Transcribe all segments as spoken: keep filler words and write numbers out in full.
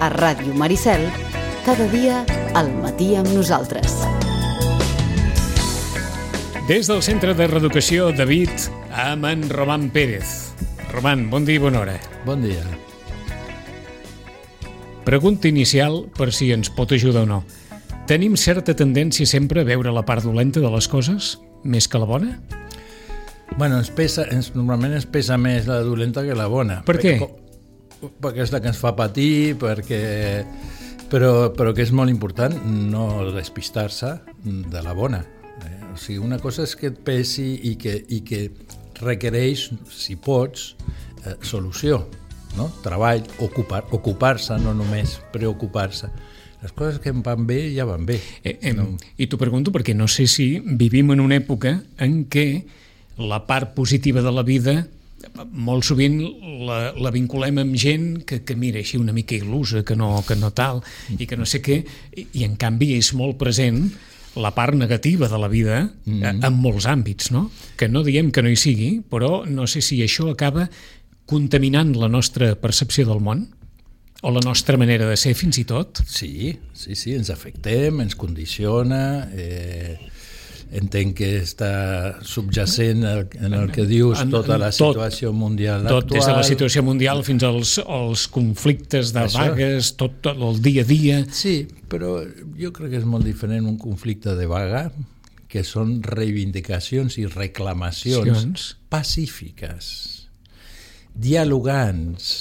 a Ràdio Maricel, cada dia al matí amb nosaltres. Des del Centre de Reeducació David, amb en Roman Pérez. Roman, bon dia i bona hora. Bon dia. Pregunta inicial per si ens pot ajudar o no. Tenim certa tendència sempre a veure la part dolenta de les coses més que la bona? Bueno, ens pesa, ens, normalment ens pesa més la dolenta que la bona. Per què? Perquè, perquè és la que ens fa patir, perquè... Però, però que és molt important no despistar-se de la bona. Eh? O sigui, una cosa és que et pesi i que, i que requereix, si pots, eh, solució, no? Treball, ocupar, ocupar-se, no només preocupar-se. Les coses que em van bé ja van bé. Eh, eh, no. I t'ho pregunto perquè no sé si vivim en una època en què la part positiva de la vida molt sovint la, la vinculem amb gent que, que mira així una mica il·lusa, que no, que no tal, i que no sé què, i, i en canvi és molt present la part negativa de la vida mm-hmm. en molts àmbits, no? Que no diem que no hi sigui, però no sé si això acaba contaminant la nostra percepció del món o la nostra manera de ser fins i tot. Sí, sí, sí, ens afectem, ens condiciona, eh, entenc que està subjacent en el que dius en, tota la situació tot, mundial tot, actual. Des de la situació mundial fins als, als conflictes de Això. vagues, tot, tot el dia a dia. Sí, però jo crec que és molt diferent un conflicte de vaga, que són reivindicacions i reclamacions Sions. pacífiques, dialogants,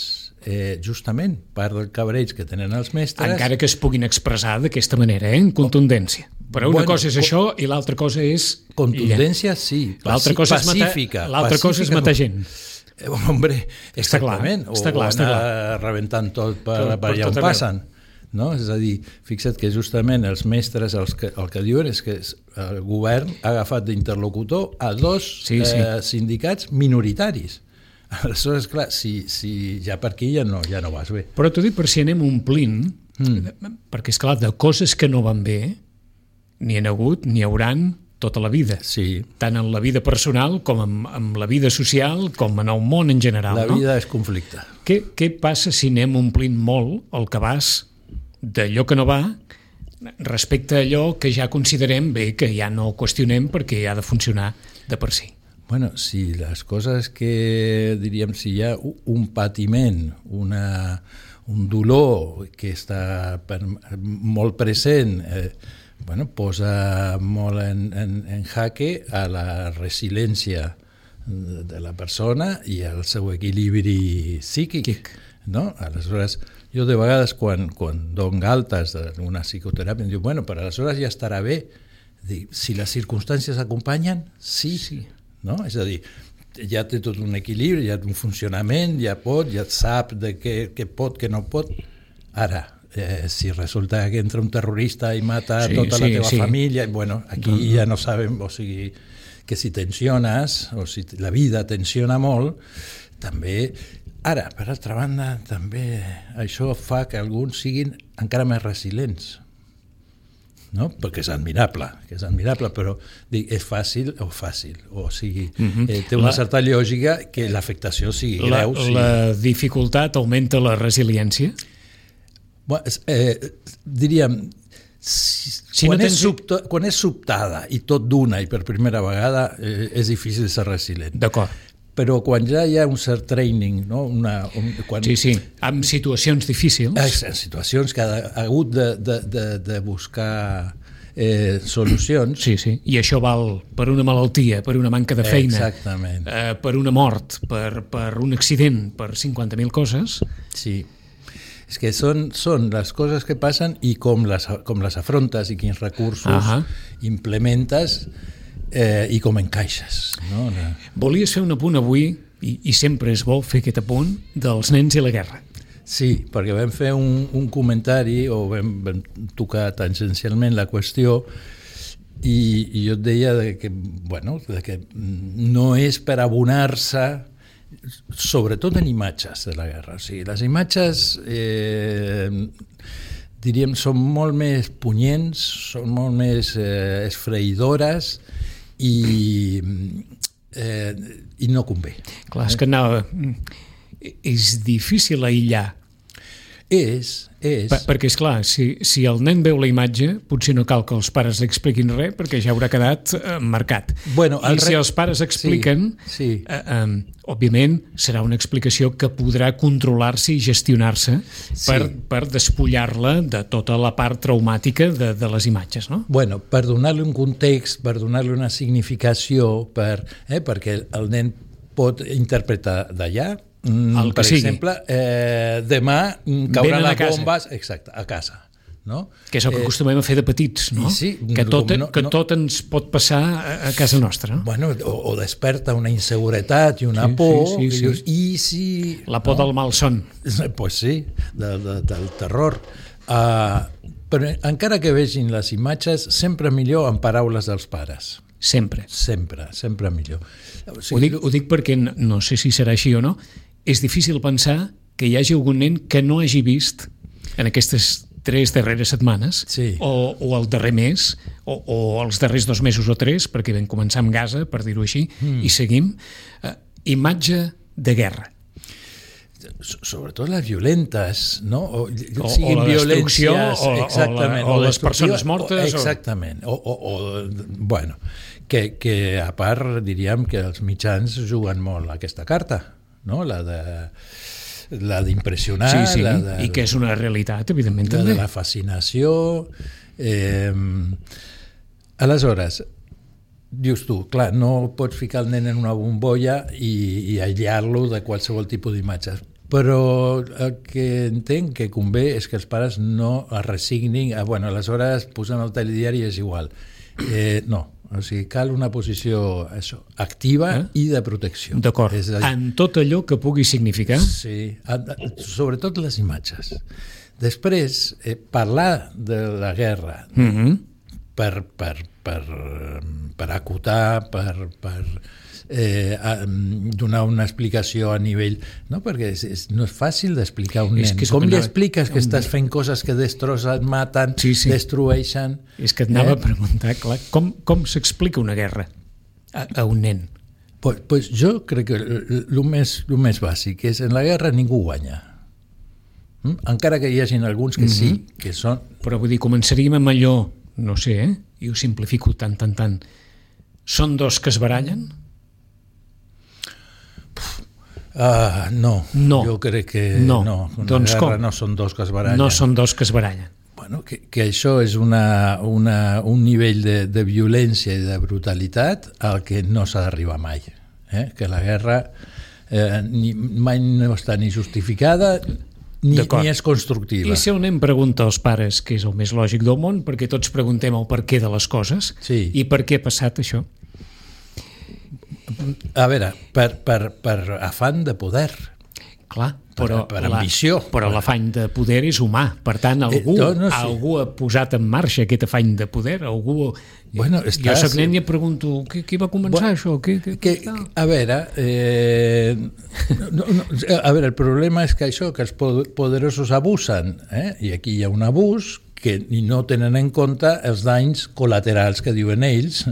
Eh, justament, part del cabreig que tenen els mestres... Encara que es puguin expressar d'aquesta manera, eh? En contundència. Però una bueno, cosa és això i l'altra cosa és... Contundència, sí. L'altra cosa és pacífica. L'altra cosa és matar gent. Eh, hombre, està clar, exactament. Està clar, o està anar clar. rebentant tot per, tot, per per allà on tot passen. No? És a dir, fixa't que justament els mestres els que, el que diuen és que el govern ha agafat d'interlocutor a dos sí, sí. Eh, sindicats minoritaris. Aleshores, clar, si, si ja per aquí ja no, ja no vas bé. Però t'ho dic per si anem omplint, mm. perquè, esclar, de coses que no van bé, n'hi ha hagut, n'hi hauran tota la vida. Sí. Tant en la vida personal com en, en la vida social, com en el món en general. La no? vida és conflicte. Què, què passa si anem omplint molt el cabàs d'allò que no va respecte a allò que ja considerem bé, que ja no qüestionem perquè ha de funcionar de per si? Bueno, si les coses que, diríem, si hi ha un patiment, una, un dolor que està per, molt present, eh, bueno, posa molt en, en, en jaque a la resiliència de la persona i al seu equilibri psíquic. No? Aleshores, jo de vegades quan, quan dono altes d'una psicoteràpia em diu, bueno, però aleshores ja estarà bé. Dic, si les circumstàncies acompanyen, sí, sí. No? És a dir, ja té tot un equilibri, ja té un funcionament, ja pot, ja sap de què, què pot, què no pot. Ara, eh, si resulta que entra un terrorista i mata sí, tota sí, la teva sí. família, bueno, aquí no, no. ja no sabem, o sigui, que si tensiones, o si la vida tensiona molt, també... Ara, per altra banda, també això fa que alguns siguin encara més resilients. No? Perquè és admirable, que és admirable, però dic, és fàcil o fàcil, o sigui, uh-huh. eh, té una la, certa lògica que l'afectació sigui la, greu. Sí. La dificultat augmenta la resiliència? Bueno, eh, diríem, si, si quan, no tens... és subta, quan és sobtada i tot d'una i per primera vegada eh, és difícil ser resilient. D'acord. Però quan ja hi ha un cert training, no? Una, un, quan... Sí, sí, en situacions difícils. En situacions que ha, ha hagut de, de, de, de buscar eh, solucions. Sí, sí, i això val per una malaltia, per una manca de feina, eh, per una mort, per, per un accident, per cinquanta mil coses. Sí, és que són, són les coses que passen i com les, com les afrontes i quins recursos uh-huh. implementes Eh, i com encaixes. No? Volies fer un apunt avui, i, i sempre és bo fer aquest apunt, dels nens i la guerra. Sí, perquè vam fer un, un comentari, o vam, vam tocar tangencialment la qüestió, i, i jo et deia de que, bueno, de que no és per abonar-se, sobretot en imatges de la guerra. O sigui, les imatges... Eh, diríem, són molt més punyents, són molt més eh, esfreïdores i, eh, i no convé. Clar, és que anava... És difícil aïllar És, és... Per, perquè, esclar, si, si el nen veu la imatge, potser no cal que els pares li expliquin res, perquè ja haurà quedat eh, marcat. Bueno, I re... si els pares expliquen, sí, sí. Eh, eh, òbviament serà una explicació que podrà controlar-se i gestionar-se per, sí. per despullar-la de tota la part traumàtica de, de les imatges, no? Bueno, per donar-li un context, per donar-li una significació, per, eh, perquè el nen pot interpretar d'allà. El que per sigui. exemple, eh, demà cauran Venen a les casa. bombes, exacte, a casa, no? Que és el que Eh, acostumem a fer de petits, no? sí, que tot, no- que no- tot ens pot passar a, a casa nostra, no? Bueno, o, o desperta una inseguretat i una Sí, por, sí, sí, i sí. dius, i si... La por del malson. Pues sí, de, de, del terror. Uh, però encara que vegin les imatges, sempre millor en paraules dels pares. Sempre. Sempre, sempre millor. O Ho dic, ho dic perquè no, no sé si serà així o no. És difícil pensar que hi hagi algun nen que no hagi vist en aquestes tres darreres setmanes Sí. o, o el darrer mes o, o els darrers dos mesos o tres, perquè vam començar amb Gaza, per dir-ho així, mm. i seguim, eh, imatge de guerra. So- sobretot les violentes, no? O, O- siguin o la destrucció, violències, o- o la- exactament, o les destructiva, persones mortes, o- exactament, o, o, o bueno, que, que a part diríem que els mitjans juguen molt a aquesta carta, no? La de la d'impressionar, Sí, sí, la de, i que és una realitat, evidentment, la també. de la fascinació. Eh, aleshores, dius tu, clar, no pots ficar el nen en una bombolla i, i aïllar-lo de qualsevol tipus d'imatges, però el que entenc que convé és que els pares no es resignin a, bueno, aleshores posem el telediari i és igual. Eh, no, o sigui, cal una posició això, activa Eh? i de protecció. D'acord, És a dir, en tot allò que pugui significar. Sí, sobretot les imatges. Després, eh, parlar de la guerra Mm -hmm. per, per, per, per acotar, per, per eh, a, donar una explicació a nivell... No, perquè és, és, no és fàcil d'explicar a un És nen. que és el Com que li anava- expliques que un- estàs fent coses que destrossen, maten, Sí, sí. destrueixen? És que et anava Eh? a preguntar, clar, com, com s'explica una guerra a, a un nen? Pues, pues jo crec que el més, el més bàsic és en la guerra ningú guanya. Mm? Encara que hi hagin alguns que sí, que són... Però vull dir, començaríem amb allò, no sé, eh? I ho simplifico tant, tant, tant. Són dos que es barallen? Uh, no, No. jo crec que No. no. Una Doncs guerra com? no són dos que es barallen. No són dos que es barallen. Bueno, que, que això és una, una, un nivell de, de violència i de brutalitat al que no s'ha d'arribar mai. Eh? Que la guerra eh, ni, mai no està ni justificada ni, D'acord. ni és constructiva. I si el nen pregunta als pares, que és el més lògic del món, perquè tots preguntem el per què de les coses, Sí. i per què ha passat això? A veure, per, per, per afany de poder. Clar, però, Per- per ambició. però l'afany de poder és humà. Per tant, algú, Eh, no, no, sí. algú ha posat en marxa aquest afany de poder. Algú... Bueno, jo està- soc nen i em pregunto, qui, qui va començar Bueno, això? Qui, qui, Que, qui, a veure, eh, no, no, a veure, el problema és que això, que els pod- poderosos abusen, eh? I aquí hi ha un abús que no tenen en compte els danys col·laterals que diuen ells.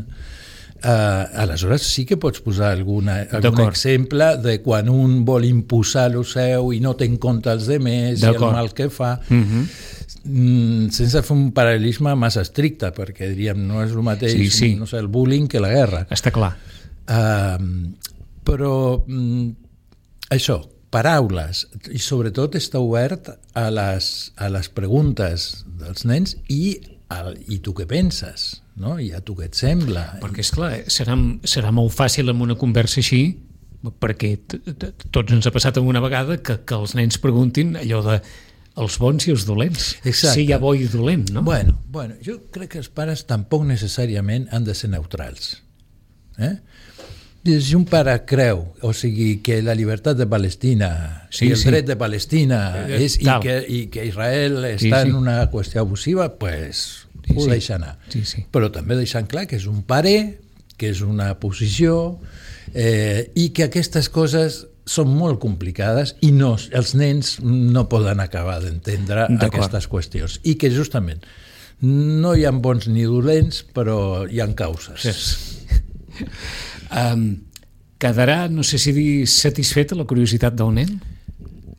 Uh, aleshores sí que pots posar alguna, algun D'acord. exemple de quan un vol imposar el seu i no té en compte els demés i el D'acord. mal que fa, Mhm. mm, sense fer un paral·lelisme massa estricte, perquè diríem no és el mateix Sí, sí. no sé, el bullying que la guerra. Està clar. Uh, però mm, això, paraules, i sobretot està obert a les, a les preguntes dels nens i, al, i tu què penses, no? I a tu què et sembla. Perquè, esclar, serà, serà molt fàcil amb una conversa així, perquè t- t- tots ens ha passat alguna vegada que, que els nens preguntin allò de els bons i els dolents. Exacte. Si hi ha bo i dolent, no? Bueno, bueno, jo crec que els pares tampoc necessàriament han de ser neutrals. Eh? Si un pare creu, o sigui, que la llibertat de Palestina Sí, i el sí. dret de Palestina Eh, és, i, tal. que, i que Israel Sí, està sí. en una qüestió abusiva, pues, Sí, ho sí. deixa anar. Sí, sí. Però també deixant clar que és un pare, que és una posició, eh, i que aquestes coses són molt complicades i no, els nens no poden acabar d'entendre D'acord. aquestes qüestions. I que justament no hi ha bons ni dolents, però hi ha causes. Um, quedarà, no sé si dir, satisfeta la curiositat del nen?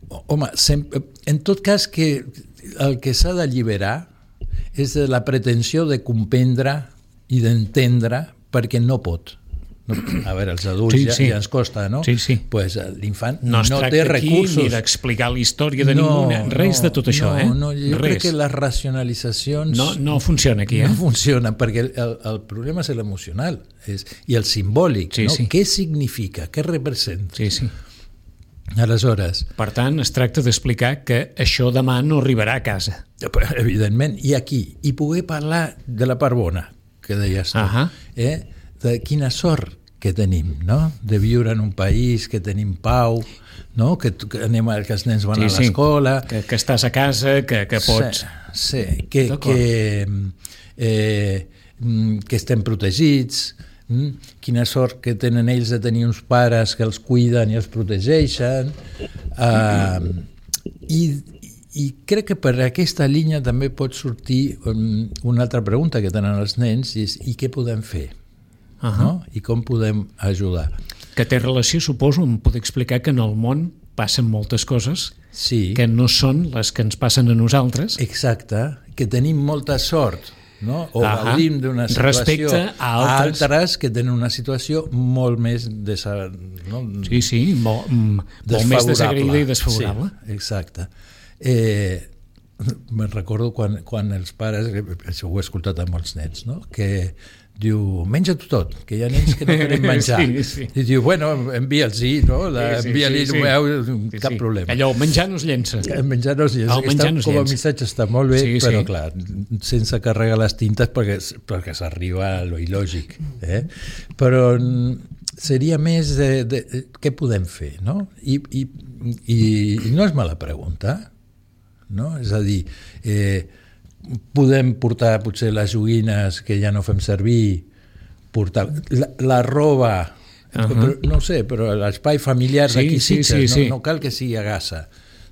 Oh, home, sempre, en tot cas que el que s'ha d'alliberar és de la pretensió de comprendre i d'entendre perquè no pot. No, a veure, els adults sí, ja, sí. ja ens costa, no? Sí, sí. Pues l'infant no, no té recursos. Ni d'explicar la història de no, ningú, res no, de tot això, no, eh? No, jo res. crec que les racionalitzacions... No, no funciona aquí, eh? No funciona, perquè el, el problema és l'emocional és, i el simbòlic, sí, no? Sí. Què significa? Què representa? Sí, sí. Aleshores... Per tant, es tracta d'explicar que això demà no arribarà a casa. Evidentment, i aquí, i poder parlar de la part bona, que deies tu, uh-huh. eh? De quina sort que tenim, no? De viure en un país, que tenim pau, no? Que, que, anem a, que els nens van sí, a l'escola... Sí. Que, que estàs a casa, que, que pots... Sí, sí. Que, que, eh, que estem protegits, quina sort que tenen ells de tenir uns pares que els cuiden i els protegeixen, uh, i, i crec que per aquesta línia també pot sortir um, una altra pregunta que tenen els nens, i és i què podem fer? Uh-huh. No? I com podem ajudar. Que té relació, suposo, em pot explicar que en el món passen moltes coses sí. que no són les que ens passen a nosaltres. Exacte, que tenim molta sort, no? O uh-huh. gaudim d'una situació respecte a altres. altres que tenen una situació molt més desa... no? sí, sí, molt, molt més desagraïda i desfavorable. Sí, exacte. Eh, me'n recordo quan, quan els pares, això ho he escoltat amb molts nens, no? Que diu, menja tu tot, que hi ha nens que no tenen menjar. Sí, sí. I diu, bueno, envia'ls-hi, no? La, sí, sí, envia-li, sí, sí. Meu, sí, cap sí. problema. Allò, menjar no es llença. El menjar no es llença. El menjar no es com a llença. missatge està molt bé, sí, però sí. clar, sense carregar les tintes perquè, perquè s'arriba a lo il·lògic. Eh? Però seria més de, de, de què podem fer, no? I, i, i, i no és mala pregunta, no? És a dir, eh, podem portar potser les joguines que ja no fem servir, portar la, la roba, uh-huh. però, no sé, però l'espai familiar sí, d'aquí sí, Sitges, sí, sí. no, no cal que sigui a Gassa,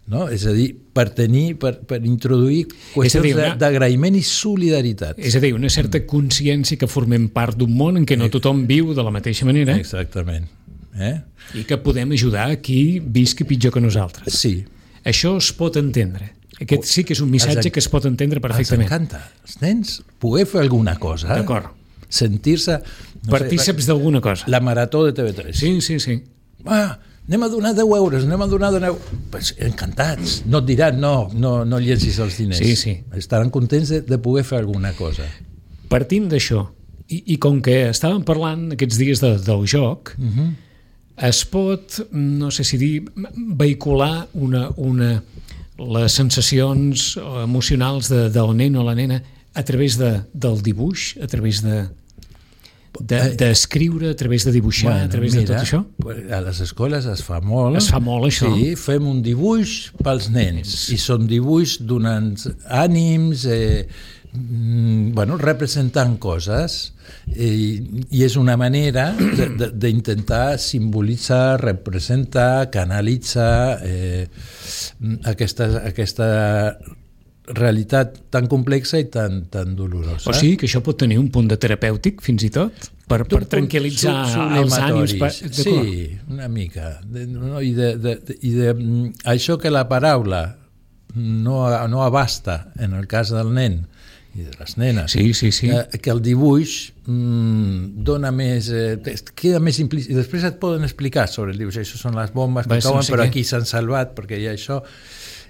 no? És a dir, per tenir, per, per introduir qüestions dir, una... d'agraïment i solidaritat. És a dir, una certa consciència que formem part d'un món en què no tothom viu de la mateixa manera. Exactament. Eh? I que podem ajudar a qui visqui pitjor que nosaltres. Sí. Això es pot entendre. Aquest sí que és un missatge en... que es pot entendre perfectament. Els encanta. Els nens poder fer alguna cosa. D'acord. Sentir-se... No partíceps sé, d'alguna cosa. La marató de T V tres. Sí, sí, sí. Ah, anem a donar deu euros, anem a donar deu euros. Pues, encantats. No et diran, no, no, no llencis els diners. Sí, sí. Estaran contents de, de poder fer alguna cosa. Partint d'això, i, i com que estàvem parlant aquests dies de, del joc, uh-huh. es pot, no sé si dir, vehicular una... una les sensacions emocionals de, del nen o la nena a través de, del dibuix, a través de d'escriure, de, a través de dibuixar, bueno, a través mira, de tot això? A les escoles es fa molt. Es fa molt, això. Sí, fem un dibuix pels nens. I són dibuix donant ànims, eh, bueno, representant coses, i, i és una manera d'intentar simbolitzar, representar, canalitzar eh, aquesta, aquesta realitat tan complexa i tan, tan dolorosa. O sigui que això pot tenir un punt de terapèutic, fins i tot, per, per tranquil·litzar els ànims. Per... Sí, una mica. De, no, I, de, de, i de, això que la paraula no, no abasta en el cas del nen i de les nenes, sí, sí, sí. Que, que el dibuix mmm, dona més, eh, queda més implícit, i després et poden explicar sobre el dibuix, això són les bombes que cauen, no sé però què. Aquí s'han salvat perquè hi ha això,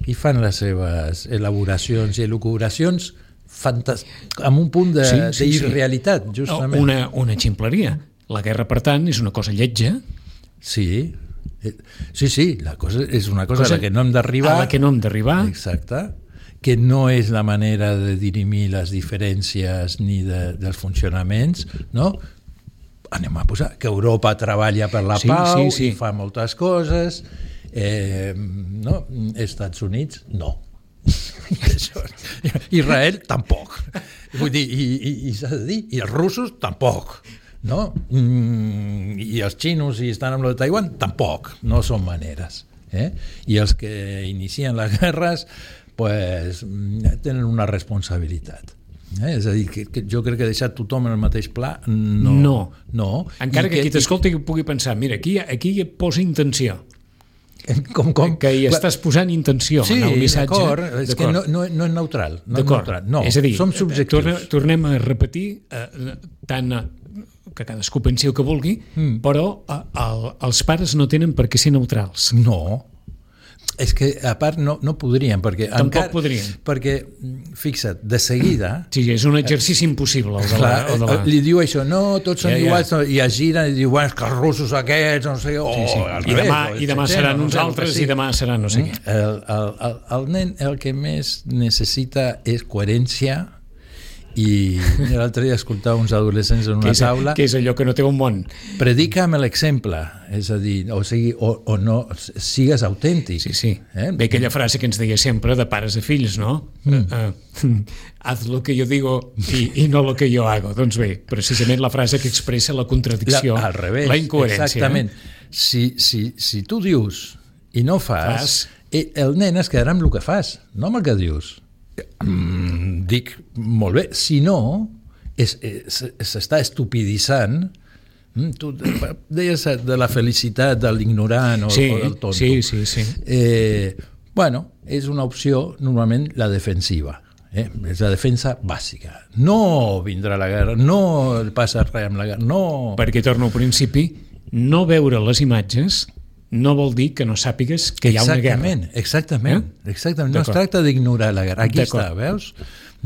i fan les seves elaboracions i elucubracions fantas... amb un punt de, sí, sí, d'irrealitat, sí. Justament. Una, una ximpleria. La guerra, per tant, és una cosa lletja. Sí, sí, sí, la cosa és una cosa, cosa a la que no hem d'arribar. A la que no hem d'arribar. Exacte. Que no és la manera de dirimir les diferències ni de, dels funcionaments, no? Anem a posar que Europa treballa per la sí, pau sí, sí. I fa moltes coses, eh, no? Estats Units, no. Israel, tampoc. Vull dir, i, i, i s'ha de dir, i els russos, tampoc. No? Mm, I els xinos, i estan amb lo de Taiwan, tampoc. No són maneres. Eh? I els que inicien les guerres pues, tenen una responsabilitat. Eh? És a dir, que, que jo crec que deixar tothom en el mateix pla no. No. no. Encara I que, que qui t'escolti i... pugui pensar, mira, aquí, aquí hi posa intenció. Com, com? Que hi estàs posant intenció sí, en el missatge. d'acord, és que no, no, no és neutral. No és neutral. No, és a dir, som subjectius. Tornem, tornem a repetir, eh, tant eh, que cadascú pensi el que vulgui, mm. però eh, el, els pares no tenen per què ser neutrals. No, és que a part no, no podrien, perquè Tampoc encara, podrien. Perquè, fixa't, de seguida... Sí, és un exercici impossible. El de clar, la, el de la... li diu això, no, tots són ja, ja. iguals, no, i es giren i diu, bueno, que els russos aquests, no sé, o sí, sí. al I revés, demà, o i demà etcètera, seran no uns sé, altres sí. i demà seran no sé què. El, el, el, el nen el que més necessita és coherència. I l'altre dia escoltava uns adolescents en una que és, taula que és allò que no té un món. Predica amb l'exemple, és a dir, o sigui, o, o no, sigues autèntic. Sí, sí. Eh? Ve aquella frase que ens deia sempre de pares a fills, no? Mm. Uh, uh, haz lo que yo digo y, y no lo que yo hago. Doncs bé, precisament la frase que expressa la contradicció, la, al revés, la incoherència. Exactament. Eh? Si, si, si tu dius i no fas, fas, el nen es quedarà amb el que fas, no amb el que dius. Mm, dic, molt bé, si no s'està estupiditzant. Tu deies de la felicitat de l'ignorant o, sí, o del tonto. Sí, sí, sí. Eh, bueno, és una opció normalment la defensiva, eh? És la defensa bàsica. No vindrà la guerra, no passa res amb la guerra, no... Perquè, torno al principi, no veure les imatges no vol dir que no sàpigues que hi ha una guerra. Exactament, exactament. Eh? exactament. No es tracta d'ignorar la guerra. Aquí està, veus?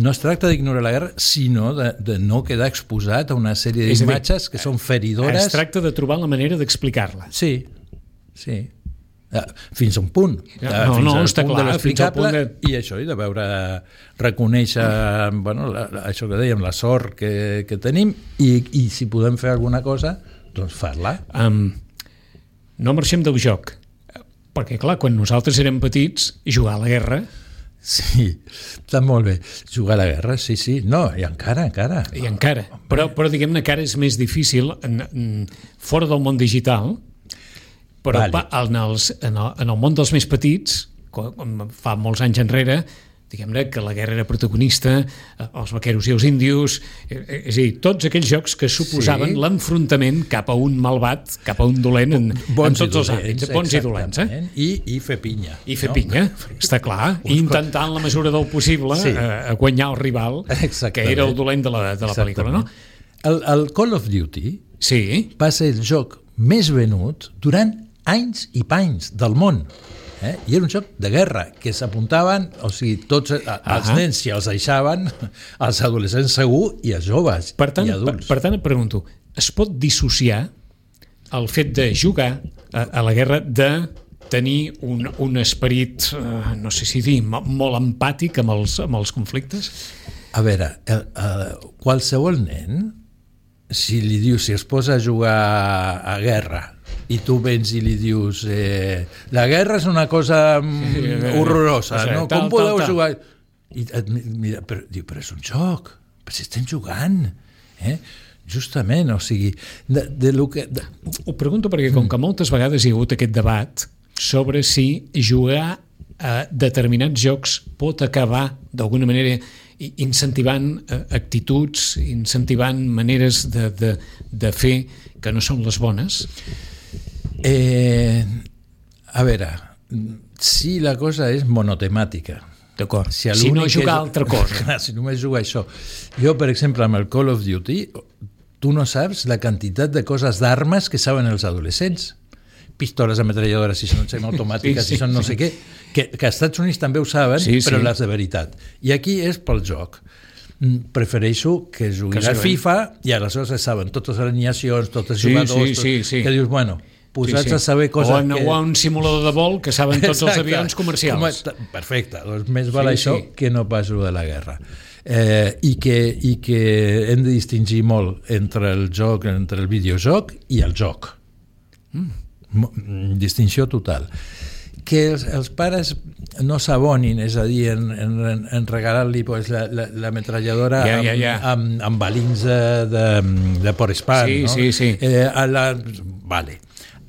No es tracta d'ignorar la guerra, sinó de, de no quedar exposat a una sèrie d'imatges que són feridores. Es tracta de trobar la manera d'explicar-la. Sí, sí. Fins a un punt. No, fins no, al està punt clar. de l'explicable de... i això, i de veure, reconèixer bueno, la, això que dèiem, la sort que, que tenim i, i si podem fer alguna cosa, doncs fer-la. Um, no marxem del joc, perquè clar, quan nosaltres érem petits, jugar a la guerra... Sí, està molt bé. Jugar a la guerra, sí, sí. No, i encara, encara. I encara. Però, però diguem-ne que ara és més difícil en, en, fora del món digital, però vale. pa, en, els, en, el, en el món dels més petits, com fa molts anys enrere, diguem-ne que la guerra era protagonista, els vaqueros i els índios, és a dir, tots aquells jocs que suposaven sí. l'enfrontament cap a un malvat, cap a un dolent en, en tots els àmbits, bons i dolents. Eh? I, I fer pinya. I fer no? pinya, està clar, i intentant en la mesura del possible sí. eh, guanyar el rival, que era el dolent de la, de la pel·lícula. No? El, el Call of Duty sí. va ser el joc més venut durant anys i panys del món. Eh? I era un joc de guerra, que s'apuntaven, o sigui, tots els uh-huh. nens si els deixaven, els adolescents segur, i els joves per tant, i adults. Per, per tant, et pregunto, es pot dissociar el fet de jugar a, a la guerra de tenir un, un esperit, uh, no sé si dir, molt empàtic amb els, amb els conflictes? A veure, el, el, qualsevol nen, si li dius, si es posa a jugar a guerra, i tu vens i li dius eh, la guerra és una cosa mm, horrorosa, o sigui, no? Tal, com podeu tal, tal. jugar? I et mira, però, diu, però és un joc, però si estem jugant, eh? Justament, o sigui, de, de lo que... De... Ho pregunto perquè com que moltes vegades hi ha hagut aquest debat sobre si jugar a determinats jocs pot acabar d'alguna manera incentivant actituds, incentivant maneres de, de, de fer que no són les bones. Eh, a veure, si la cosa és monotemàtica, d'acord, si, si no jugar és... altra cosa. Clar, si només jugar això. Jo, per exemple, amb el Call of Duty, tu no saps la quantitat de coses d'armes que saben els adolescents. Pistoles, ametralladores, si són semiautomàtiques, sí, sí, si són no sé què, que, que als Estats Units també ho saben, sí, però sí. Les de veritat. I aquí és pel joc. Prefereixo que juguin que a FIFA i aleshores saben totes les alineacions, tots els sí, jugadors, sí, sí, sí. que dius, bueno, posats sí, sí. a saber coses... O en, que... o en un simulador de vol que saben tots Exacte. Els avions comercials. Com, perfecte, doncs més val sí, això sí. que no pas de la guerra. Eh, i, que, I que hem de distingir molt entre el joc, entre el videojoc i el joc. Mm. Distinció total. Que els, els pares no s'abonin, és a dir, en, en, en regalar-li pues, la, la, la metralladora ja, ja, ja. amb, amb, amb balins de, de, de Porespan. Sí, no? sí, sí. Eh, a la... Vale.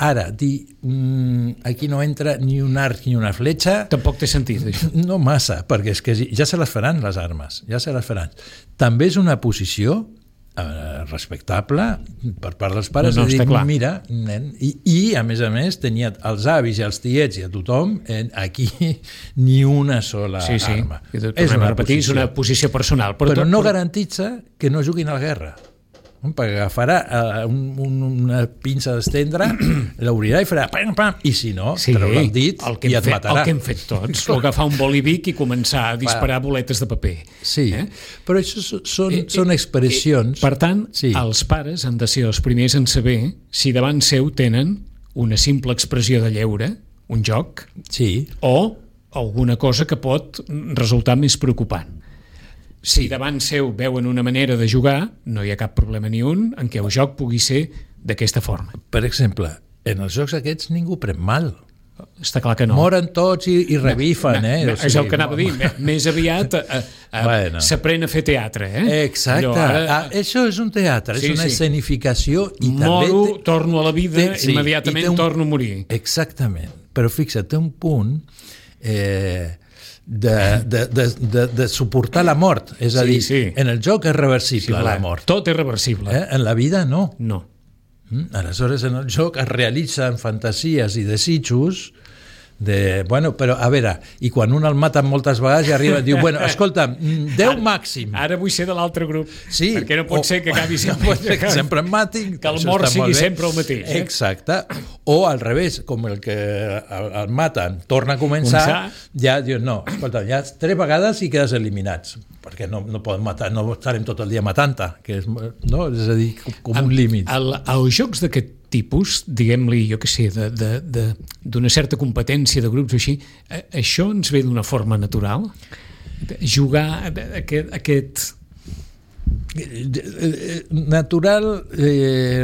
Ara, dir, mm, aquí no entra ni un arc ni una fletxa... Tampoc té sentit, això. No massa, perquè és que ja se les faran, les armes, ja se les faran. També és una posició eh, respectable per part dels pares, no, no, de dir, està clar. mira, nen, i, i a més a més tenia els avis i els tiets i a tothom, eh, aquí ni una sola sí, sí. arma. És una, repetir, és una posició personal. Però, però tot, no però... garantitza que no juguin a la guerra. Perquè agafarà uh, un, un, una pinça d'estendre, l'obrirà i farà pam, pam, i si no, sí, treurà el dit el que i et fet, matarà. El que hem fet tots, o agafar un bolivic i començar a disparar boletes de paper. Sí, eh? però això són, eh, són expressions... Eh, per tant, sí. els pares han de ser els primers en saber si davant seu tenen una simple expressió de lleure, un joc, sí. o alguna cosa que pot resultar més preocupant. Si davant seu veuen una manera de jugar, no hi ha cap problema ni un en què el joc pugui ser d'aquesta forma. Per exemple, en els jocs aquests ningú pren mal. Està clar que no. Moren tots i, i revifen, no, eh? No, o sigui, és el que anava a dir. Més aviat eh, eh, bueno. s'aprèn a fer teatre, eh? Exacte. Allò, ara... ah, això és un teatre, sí, és una sí. escenificació i Moro, també... Moro, torno a la vida, té, sí, immediatament un... torno a morir. Exactament. Però fixa't, té un punt... Eh, De, de, de, de, de suportar la mort, és a sí, dir, sí. en el joc és reversible sí, la mort. Tot és reversible. Eh? En la vida no. No. Mm? Aleshores, en el joc es realitzen fantasies i desitjos de, bueno, però a veure, i quan un el mata moltes vegades i arriba i diu, bueno, escolta, deu ara, màxim. Ara vull ser de l'altre grup, sí, perquè no pot o, ser que acabi sempre, no pot ser que sempre em matin, que el mort sigui sempre el mateix. Eh? Exacte. O al revés, com el que el, el maten torna a començar, començar, ja dius, no, escolta, ja tres vegades i quedes eliminats, perquè no, no poden matar, no estarem tot el dia matant-te, que és, no? És a dir, com un límit. Els jocs d'aquest tipus, diguem-li, jo què sé, d'una certa competència de grups o així, això ens ve d'una forma natural? Jugar aquest... aquest... Natural, eh,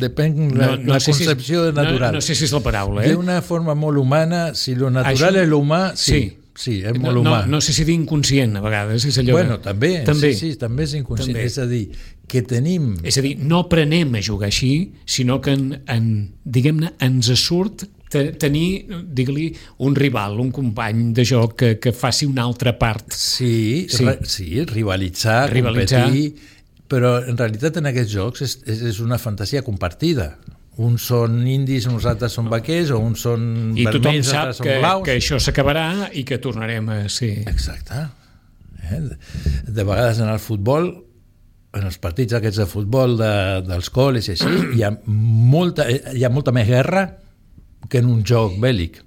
depèn no, la, no la sé concepció si és, de natural. No, no sé si és la paraula, eh? D'una forma molt humana, si lo natural això, és l'humà, sí. sí. Sí, és molt no, humà. No, no sé si dir inconscient, a vegades. És allò bueno, de... també, també, sí, sí, també és inconscient. També. És a dir, que tenim... És a dir, no aprenem a jugar així, sinó que, en, en, diguem-ne, ens surt tenir, digue-li, un rival, un company de joc que, que faci una altra part. Sí, sí, re, sí rivalitzar, rivalitzar, competir, però en realitat en aquests jocs és, és una fantasia compartida. Uns són indis, uns altres són vaquers, o uns són I vermells, altres són que, blaus. que això s'acabarà i que tornarem a ser... Exacte. Eh? De vegades en el futbol, en els partits aquests de futbol de, dels col·les i així, hi ha, molta, hi ha molta més guerra que en un joc bèl·lic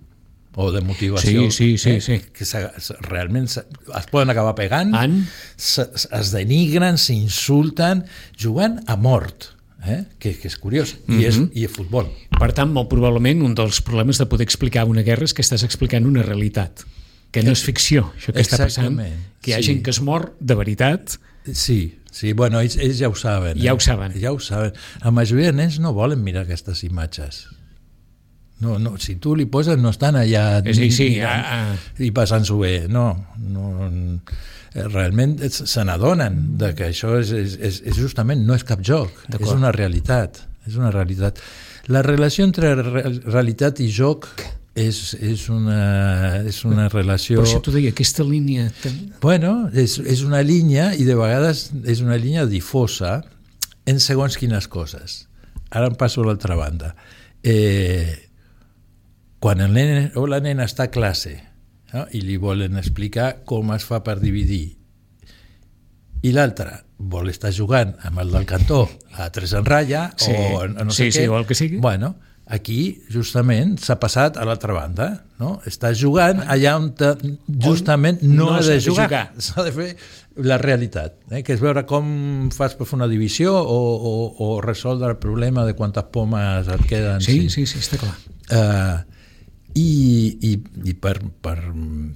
o de motivació. Sí, sí, sí. Eh? sí. Que se, realment se, es poden acabar pegant, en... se, es denigren, s'insulten, jugant a mort. Eh? Que, que és curiós, mm-hmm. I, és, i és futbol. Per tant, molt probablement un dels problemes de poder explicar una guerra és que estàs explicant una realitat, que no és ficció, això que Exactament. Està passant, que hi ha sí. gent que es mor de veritat. Sí, sí, bueno, ells, ells ja ho saben. Ja eh? ho saben. Ja ho saben. La majoria de nens no volen mirar aquestes imatges. No, no, si tu li poses no estan allà és dir, sí, mirant, a, a... i passant-s'ho bé, no, no realment se n'adonen de que això és, és, és justament no és cap joc, és una realitat, és una realitat. La relació entre realitat i joc és, és, una, és una relació... Per això t'ho deia, aquesta línia... Bueno, és, és una línia i de vegades és una línia difosa en segons quines coses. Ara em passo a l'altra banda. Eh, quan el nen o la nena està a classe, no? I li volen explicar com es fa per dividir i l'altre vol estar jugant amb el del cantó a tres en ratlla sí. o no sí, sé sí, què, o el que sigui. Bueno, aquí justament s'ha passat a l'altra banda, no? Està jugant allà on te, justament on no, no ha de jugar, jugar. S'ha de fer la realitat, eh? Que és veure com fas per fer una divisió o, o, o resoldre el problema de quantes pomes et queden. Sí, sí, sí, està clar. Uh, i, i, i per, per,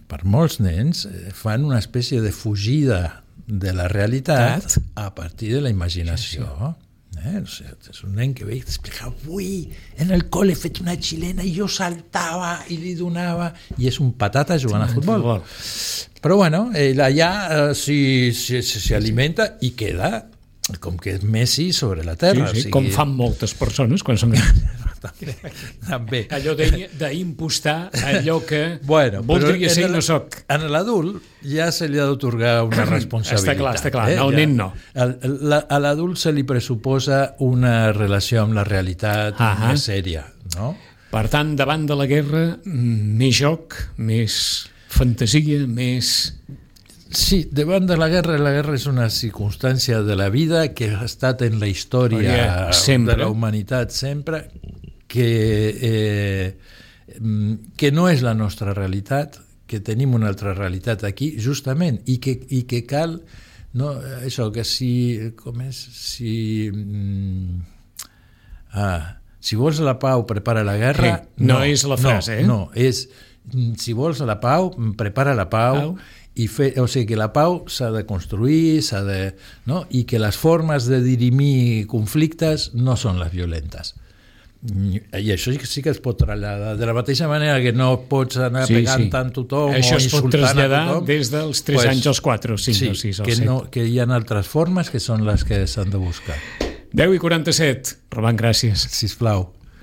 per molts nens fan una espècie de fugida de la realitat a partir de la imaginació. Sí, sí. Eh? O sigui, és un nen que ve i t'explica, avui en el col·le he fet una xilena i jo saltava i li donava, i és un patata jugant sí, a futbol. futbol. Però bueno, ell allà eh, s'hi si, si, si alimenta i queda com que és Messi sobre la terra. Sí, sí, o sigui... com fan moltes persones quan són grans. també. també. Allò d'impostar allò que bueno, voldria ser i no soc. En l'adult ja se li ha d'otorgar una responsabilitat. Està clar, està clar. Eh? El ja, nen no. A, a l'adult se li pressuposa una relació amb la realitat uh -huh. més sèria, no? Per tant, davant de la guerra, més joc, més fantasia, més... Sí, davant de la guerra, la guerra és una circumstància de la vida que ha estat en la història de la humanitat sempre, que, eh, que no és la nostra realitat, que tenim una altra realitat aquí, justament, i que, i que cal, no, això, que si, com és, si... Mm, ah, si vols la pau, prepara la guerra... Sí, no, no és la frase, no, eh? No, és, si vols la pau, prepara la pau, pau. I fer, o sigui que la pau s'ha de construir, s'ha de, no? I que les formes de dirimir conflictes no són les violentes. I això sí que es pot traslladar. De la mateixa manera que no pots anar sí, pegant sí. tant tothom això o insultant a tothom. Això es pot traslladar des dels tres pues, anys als quatre, o cinc, sí, o sis, o que set. No, que hi ha altres formes que són les que s'han de buscar. deu i quaranta-set. Roman, gràcies. Sisplau.